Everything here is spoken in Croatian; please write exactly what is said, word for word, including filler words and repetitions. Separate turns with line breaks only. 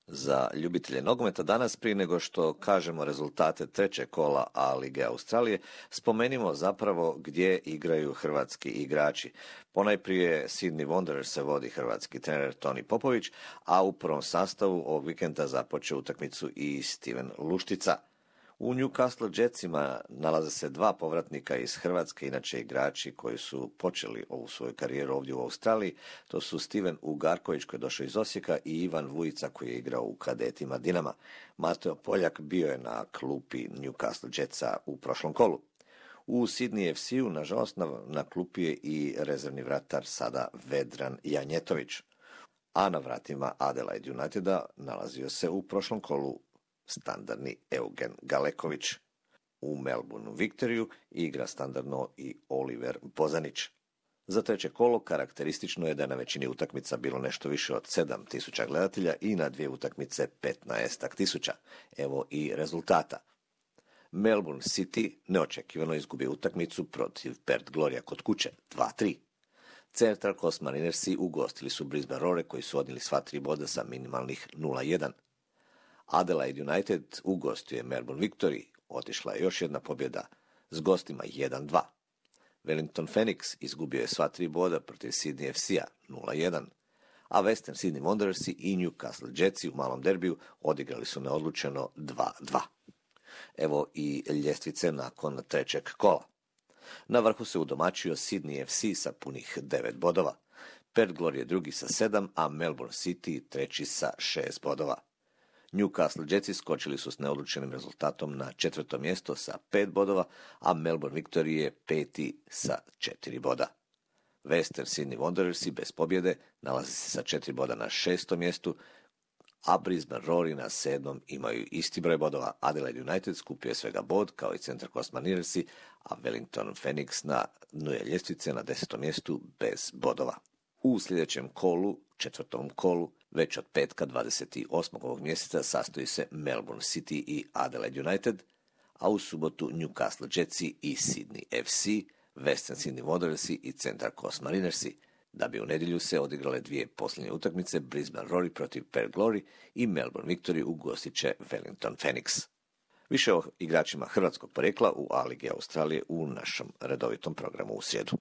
Za ljubitelje nogometa danas, prije nego što kažemo rezultate trećeg kola A lige Australije, spomenimo zapravo gdje igraju hrvatski igrači. Ponajprije Sydney Wanderers se vodi hrvatski trener Toni Popović, a u prvom sastavu ovog vikenda započeo utakmicu i Steven Luštica. U Newcastle Jetsima nalaze se dva povratnika iz Hrvatske, inače igrači koji su počeli ovu svoju karijeru ovdje u Australiji. To su Steven Ugarković koji je došao iz Osijeka i Ivan Vujica koji je igrao u kadetima Dinama. Mateo Poljak bio je na klupi Newcastle Jetsa u prošlom kolu. U Sydney F C-u, nažalost, na, na klupi je i rezervni vratar sada Vedran Janjetović. A na vratima Adelaide Uniteda nalazio se u prošlom kolu standardni Eugen Galeković. U Melbourne Victoriju igra standardno i Oliver Bozanić. Za treće kolo karakteristično je da je na većini utakmica bilo nešto više od sedam tisuća gledatelja i na dvije utakmice petnaest tisuća. Evo i rezultata. Melbourne City neočekivano izgubio utakmicu protiv Perth Gloria kod kuće dva tri. Central Coast Marinersi ugostili su Brisbane Roar koji su odnijeli sva tri boda sa minimalnih nula jedan. Adelaide United ugostio je Melbourne Victory, otišla je još jedna pobjeda s gostima jedan dva. Wellington Phoenix izgubio je sva tri boda protiv Sydney F C-a nula jedan, a Western Sydney Wanderersi i Newcastle Jetsi u malom derbiju odigrali su neodlučeno dva dva. Evo i ljestvice nakon trećeg kola. Na vrhu se udomačio Sydney F C sa punih devet bodova. Perth Glory je drugi sa sedam, a Melbourne City treći sa šest bodova. Newcastle Jetsi skočili su s neodlučenim rezultatom na četvrto mjesto sa pet bodova, a Melbourne Victory je peti sa četiri boda. Western Sydney Wanderersi bez pobjede nalazi se sa četiri boda na šestom mjestu, a Brisbane Roar na sedmom imaju isti broj bodova. Adelaide United skupio je svega bod, kao i Central Coast Marinersi, a Wellington Phoenix na dnu je ljestvice na desetom mjestu bez bodova. U sljedećem kolu, četvrtom kolu, već od petka dvadeset osmog ovog mjeseca sastoji se Melbourne City i Adelaide United, a u subotu Newcastle Jetsi i Sydney F C, Western Sydney Wanderersi i Central Coast Marinersi, da bi u nedjelju se odigrale dvije posljednje utakmice, Brisbane Roar protiv Perth Glory i Melbourne Victory ugostit će Wellington Phoenix. Više o igračima hrvatskog porijekla u A ligi Australije u našem redovitom programu u srijedu.